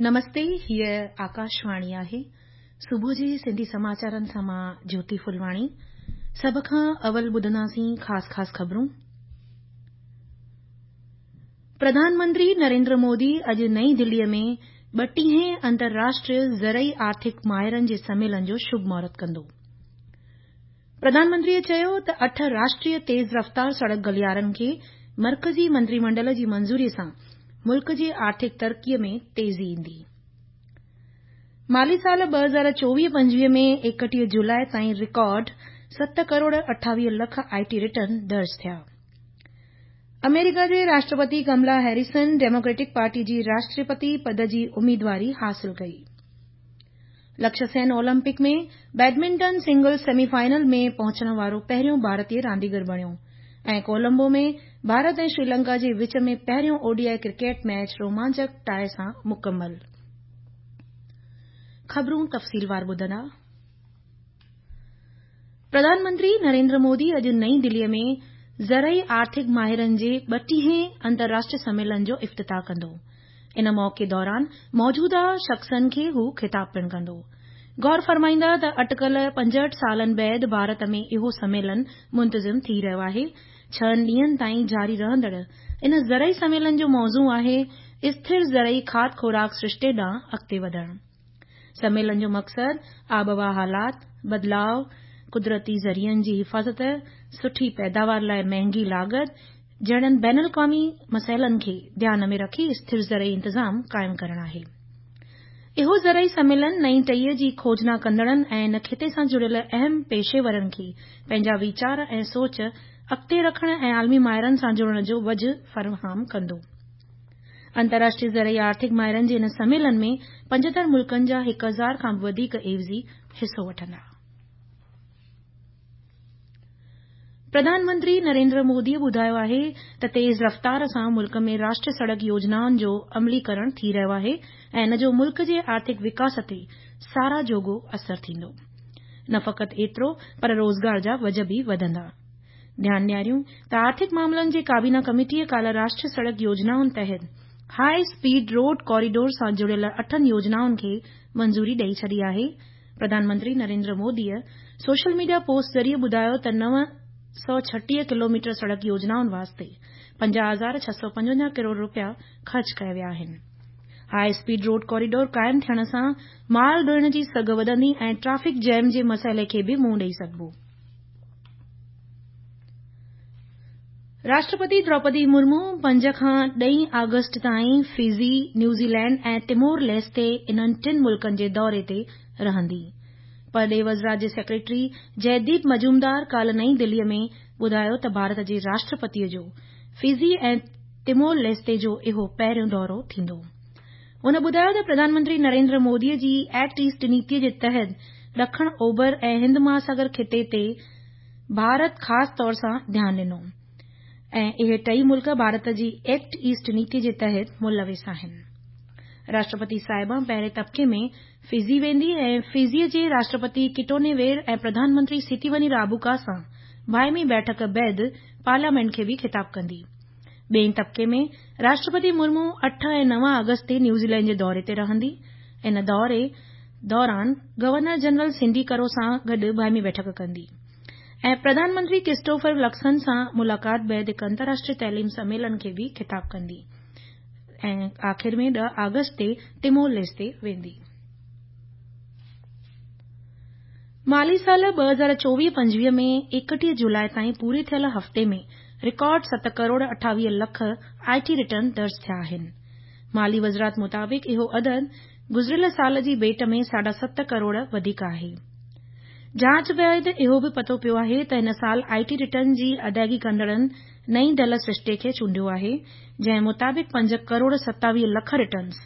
نمستي هيء آڪاشواڻي آهي. صبح جي سنڌي سماچارن سان مان جيوتي ڦلواڻي. سڀ کان اول ٻڌنداسين خاص خاص خبرون. پرڌان منتري نريندر مودي اڄ نئين دليء ۾ ٻٽيهين انترراشٽريه زرعي آرٿڪ ماهرن جي سميلن جو شڀ مهورت ڪندو. پرڌان منتريء چيو ته اٺ راشٽريه تيز رفتار سڙڪ گليارن کي مرڪزي منتري منڊل جي منظوري سان ملڪ جي آرٿڪ ترقي ۾ تيزي ايندي. مالي سال 2024-25 ۾ 31 جولاء تائين رڪارڊ ست crore 28 lakh I T return درج ٿيا. آمريڪا جي راشٽرپتي ڪملا هيريسن ڊيموڪريٽڪ پارٽي جي راشٽرپتي پد جي اميدواري حاصل ڪئي. Lakshya Sen Olympic ۾ badminton singles semi final ۾ پهچڻ وارو پهريون ڀارتي رانديگر بڻيو ۽ ڪولمبو ۾ ڀارت ۽ شريلنڪا جي وچ ۾ پهريون O D I cricket match رومانچڪ ٽاء سان مڪمل. خبرون تفصيلوار ٻڌندا. پرڌان منتري نريندر مودي اڄ نئين دليء ۾ زرعي آرٿڪ ماهرن جي ٻٽيهين انترراشٽريه سميلن جو افتتاح ڪندو. ان موقعي دوران موجوده شخصن کي هو خطاب پڻ ڪندو. غور فرمائيندا ته اٽڪل 65 سالن بعد ڀارت ۾ اهو سميلن منتظم ٿي رهيو آهي. ڇهن ڏينهن تائين جاري رهندڙ ان زرعي سميلن جو موضوع آهي اسٿر زرعي کاڌ خوراڪ سرشتي ڏانهن اڳتي وڌڻ. سميلن جو مقصد آبهوا حالات، بدلاء، قدرتي ذريعن جي حفاظت، سٺي پيداوار لاء مهنگي لاڳت جهڙن بين الاقوامي مسئلن کي ڌيان ۾ رکي اسٿر زرعي انتظام قائم ڪرڻ آهي. اهو زرعي سميلن نئين ٽهيء جي کوجنا ڪندڙن ۽ ان خطي سان جڙيل اهم پيشيورن کي پنهنجا ويچار ۽ سوچ اڳتي رکڻ ۽ عالمي ماهرن سان جڙڻ جو وجهه فراهم ڪندو. انترراشٽريه زرعي آرٿڪ ماهرن جي ان سميلن ۾ 75 ملڪن جا هڪ هزار کان به وڌيڪ عيوضي حصو وٺندا. پرڌان منتري نريندر موديء ٻڌايو آهي ته تيز رفتار سان ملڪ ۾ راشٽريه سڙڪ يوجنائن جو عملي ڪرڻ ٿي رهيو آهي ۽ ان جو ملڪ جي آرٿڪ وڪاس تي ساراهه جوڳو اثر ٿيندو. نه فقط ايترو پر روزگار جا وجهه به وڌندا. ڌيان ڏياريون ته آرٿڪ معاملن جي ڪابينا ڪميٽيء ڪالهه راشٽريه سڙڪ يوجنائن تحت هاء اسپيڊ روڊ ڪوريڊور سان جڙيل اٺن يوجنائن کي منظوري ڏئي ڇڏي آهي. Pradhan Mantri Narendra موديء social media post ذريعي ٻڌايو ته 936 ڪلوميٽر سڙڪ يوجنائن واسطي 50,655 ڪروڙ رپيا خرچ ڪيا ويا آهن. هاء اسپيڊ روڊ ڪوريڊور قائم ٿيڻ سان مال ڍوئڻ جي سگهه وڌندي ۽ ٽريفڪ جيم جي مسئلي کي به منهن ڏئي سگهبو. راشٽرپتي دروپدي مرمو پنج کان ڏهين آگسٽ تائين فجي، نيوزيلينڊ ۽ تيمور ليستي انهن ٽن ملڪن جي دوري تي رهندي. پرڏيهي وزارت جي سيڪريٽري جئديپ مجومدار ڪالهه نئين دهليء ۾ ٻڌايو ته ڀارت جي راشٽرپتيء جو فجي ۽ تيمور ليستي جو اهو پهريون دورو ٿيندو. هن ٻڌايو ته پرڌان منتري نريندر موديء جي ايڪٽ ايسٽ نيتيء جي تحت ڏکڻ اوڀر ۽ هند مهاساگر خطي تي ڀارت خاص طور سان ڌيان ڏنو ۽ اهي ٽئي ملڪ ڀارت جي ايڪٽ ايسٽ نيتي جي تحت ملوث آهن. راشٽرپتي صاحبه پهرين طبقي ۾ فجي ويندي ۽ فجيء جي راشٽرپتي ڪٽونيوير ۽ پرڌان منتري سيتيوني رابوڪا سان باهمي بيٺڪ بعد پارليامينٽ کي به خطاب ڪندي. ٻئين طبقي ۾ راشٽرپتي مرمو اٺ ۽ نو آگسٽ تي نيوزيلينڊ جي دوري تي رهندي. ان دوري دوران گورنر جنرل سنڊي ڪرو سان گڏ باهمي بيٺڪ ڪندي ۽ پرڌان منتري ڪرسٽوفر لڪسن سان ملاقات بعد هڪ انترراشٽريه تعليم سميلن کي به خطاب ڪندي ۽ آخر ۾ ڏهه آگسٽ تي تيمور ليستي ويندي. مالي سال 2024-25 ۾ 31 جولاء تائين پوري ٿيل هفتي ۾ رڪارڊ ست crore 28 lakh I T return درج ٿيا آهن. مالي وزارت مطابق اهو عدد گذريل سال جي ڀيٽ ۾ ساڍا ست ڪروڙ وڌيڪ آهي. جاچ بعد اهو به پتو پيو آهي ته هن سال آء ٽي رٽرن جي ادائگي ڪندڙن نئين ڍل سرشتي کي چونڊيو آهي، جنهن مطابق پنج ڪروڙ 27 لک رٽرنز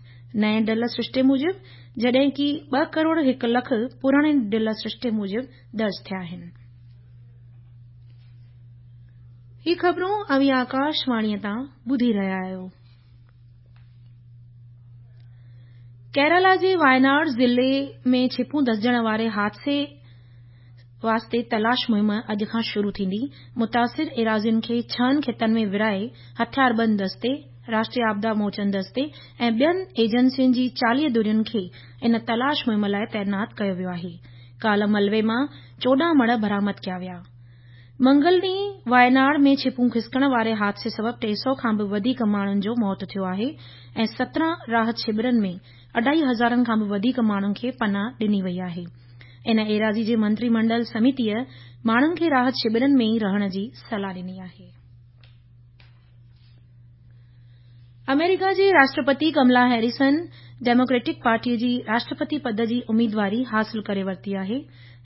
نئين ڍل سرشتي موجب جڏهن ڪي ٻه ڪروڙ هڪ لک پراڻي ڍل سرشتي موجب درج ٿيا آهن. هي خبرون اوهين آڪاش واڻيء تان ٻڌي رهيا آهيو. ڪيرالا جي وايناڊ ضلعي ۾ ڇپون دسجڻ واري حادثي واسطي تلاش مهم اڄ کان شروع ٿيندي. متاثر ايراضين کي ڇهن خطن ۾ ورهائي هٿياربند دستي، راشٽريه آپدا موچن دستي ۽ ٻين ايجنسين جي 40 ڌرين کي ان تلاش مهم لاء تعينات ڪيو ويو آهي. ڪالهه ملبي مان 14 مڙهه برآمد ڪيا ويا. منگل ڏينهن وايناڙ ۾ ڇپون کسڪڻ واري حادثي سبب 300 کان به وڌيڪ ماڻهن جو موت ٿيو آهي ۽ 17 راحت شبرن ۾ اڍائي هزارن کان به وڌيڪ ماڻهن کي پناهه ڏني وئي آهي. ان ايراضي جي منتري منڊل سميتيء ماڻهن کي راحت شبرن ۾ ئي رهڻ جي صلاح ڏني آهي. آمريڪا جي راشٽرپتي ڪملا هيريسن ڊيموڪريٽڪ پارٽيء جي راشٽرپتي پد جي اميدواري حاصل ڪري ورتي آهي.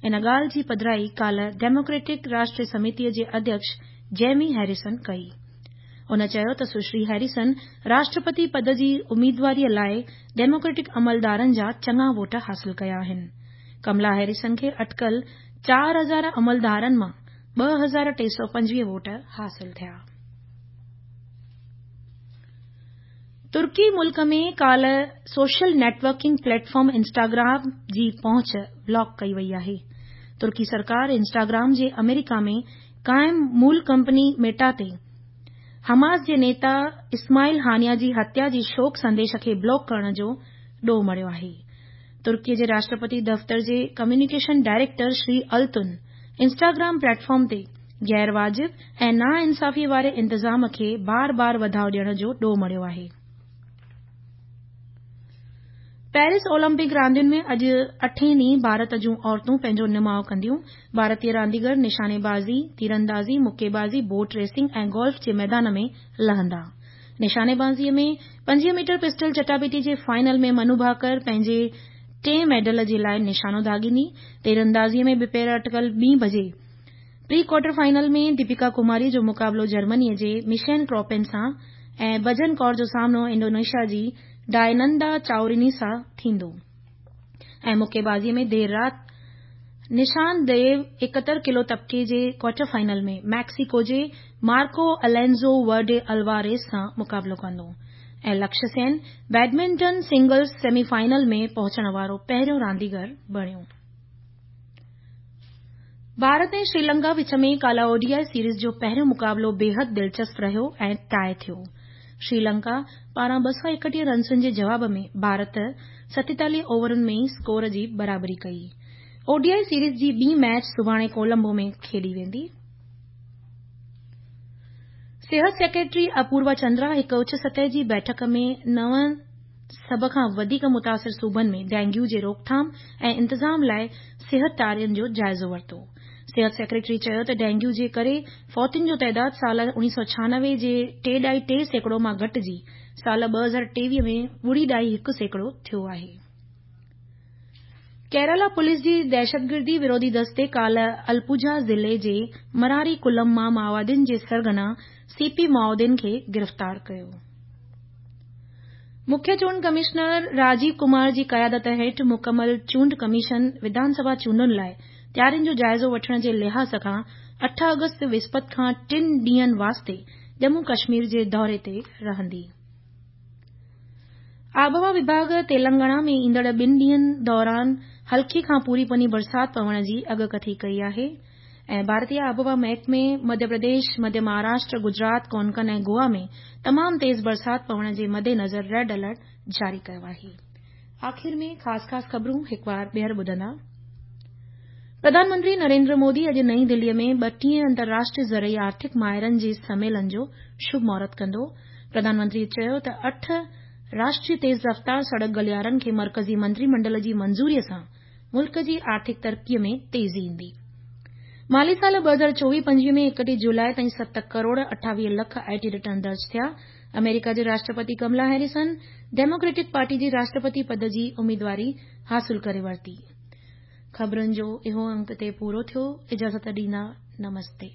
ان ڳالهه جي پڌرائي ڪالهه ڊيموڪريٽڪ راشٽريه سميتيء جي اڌيڪش جيمي هيريسن ڪئي. هن چيو ته سشري هيريسن راشٽرپتي پد جي اميدواريء لاء ڊيموڪريٽڪ عملدارن جا چڱا ووٽ حاصل ڪيا آهن. ڪملا هيريسن کي اٽڪل 4000 عملدارن مان 2325 ووٽ حاصل ٿيا. ترڪي ملڪ ۾ ڪالهه social networking plate form Instagram جي پهچ بلاڪ ڪئي وئي آهي. ترڪي سرڪار انسٽاگرام جي آمريڪا ۾ قائم مول ڪمپني ميٽا تي حماس جي نيتا اسماعيل هانيه جي هتيا جي شوڪ سنديش کي بلاڪ ڪرڻ جو ڏوهه مڙهيو آهي. ترڪي جي راشٽرپتي دفتر جي communication director Shri Altun Instagram platform تي غير واجب ۽ ناانصافي واري انتظام کي بار بار وڌاء ڏيڻ جو ڏوهه مڙهيو آهي. پيرس اولمپڪ راندين ۾ اڄ اٺين ڏينهن ڀارت جون عورتون پنهنجو نماء ڪنديون. ڀارتي رانديگر نشاني بازي، تيراندازي، مڪي بازي، بوٽ ريسنگ ۽ گولف جي ميدان ۾ لهندا. نشاني بازيء ۾ 25 ميٽر پسٽل چٽاڀيٽي جي فائنل ۾ منو ڀاڪر پنهنجي ٽئين ميڊل جي لاء نشانو داغيندي. تيراندازيء ۾ ٻپهر اٽڪل ٻين بجي پري ڪوارٽر فائنل ۾ ديپيڪا ڪماريء جو مقابلو جرمنيء جي مشين ڪروپين سان ۽ بجن ڪور جو سامنو انڊونيشيا جي ڊائنندا چائوريني سان ٿيندو ۽ مڪي بازيء ۾ دير رات نشان ديو 71 ڪلو طبقي جي ڪوارٽر فائنل ۾ ميڪسيڪو جي مارڪو الينزو ورڊي الواريز سان مقابلو ڪندو ۽ Lakshya Sen badminton singles semi final ۾ پهچڻ وارو پهريون رانديگر بڻيو. ڀارت ۽ شريلنڪا وچ ۾ ڪالهه او ڊي I series جو پهريون مقابلو بيحد دلچسپ رهيو ۽ ٽاء ٿيو. شريلنڪا پاران 231 رنسن جي جواب ۾ ڀارت 47 اوورن ۾ ئي اسڪور جي برابري ڪئي. او ڊي I series جي ٻي ميچ سڀاڻي ڪولمبو ۾ کيڏي ويندي. صحت سيڪريٽري اپوروا چندرا هڪ اچ سطح جي بيٺڪ ۾ نون سڀ کان وڌيڪ متاثر صوبن ۾ ڊينگيو جي روڪٿام ۽ انتظام لاء صحت تيارين جو جائزو ورتو. صحت سيڪريٽري چيو ته ڊينگيو جي ڪري فوتين جو تعداد سال 1996 جي 3.3% مان گهٽجي سال 2023 ۾ 0.1% ٿيو آهي. ڪيرالا پوليس جي دهشتگردي وروڌي دستي ڪالهه الپوجا ضلعي جي مراري ڪلم مان مائووادين جي سرغنا سي پي مائودين کي گرفتار ڪيو. مکيه چونڊ ڪمشنر راجيو ڪمار جي قيادت هيٺ مڪمل چونڊ ڪميشن وڌان سڀا چونڊن لاء تيارين جو جائزو وٺڻ جي لحاظ کان 8 آگسٽ وسپت کان ٽن ڏينهن واسطي ڄمون ڪشمير جي دوري تي رهندي. آبهوا وڀاڳ تيلنگانا ۾ ايندڙ ٻن ڏينهن دوران هلڪي کان پوري پني برسات پوڻ جي اڳڪٿي ڪئي آهي ۽ ڀارتي آبهوا محڪمي مڌيه پرديش، مڌيه مهاراشٽر، گجرات، ڪونڪن ۽ گوا ۾ تمام تيز برسات پوڻ جي مدنظر ريڊ الرٽ جاري ڪيو آهي. آخر ۾ خاص خاص خبرون هڪ وار ٻيهر ٻڌندا. پرڌان منتري نريندر مودي اڄ نئين دهليء ۾ ٻٽيهين انترراشٽريه زرعي آرٿڪ ماهرن جي سميلن جو شڀ مهورت ڪندو. پرڌان منتري چيو ته اٺ راشٽريه تيز رفتار سڙڪ گليارن کي مرڪزي منتري منڊل جي منظوري سان ملڪ جي آرٿڪ ترقي ۾ تيزي ايندي. مالي سال 2024-25 ۾ 31 جولاء تائين 7 crore 28 lakh I T return درج ٿيا. آمريڪا جي راشٽرپتي ڪملا هيريسن ڊيموڪريٽڪ پارٽي جي راشٽرپتي پد جي اميدواري حاصل ڪري ورتي. خبرن جو اهو انڪ اتي پورو ٿيو. اجازت ڏيندا. نمستي.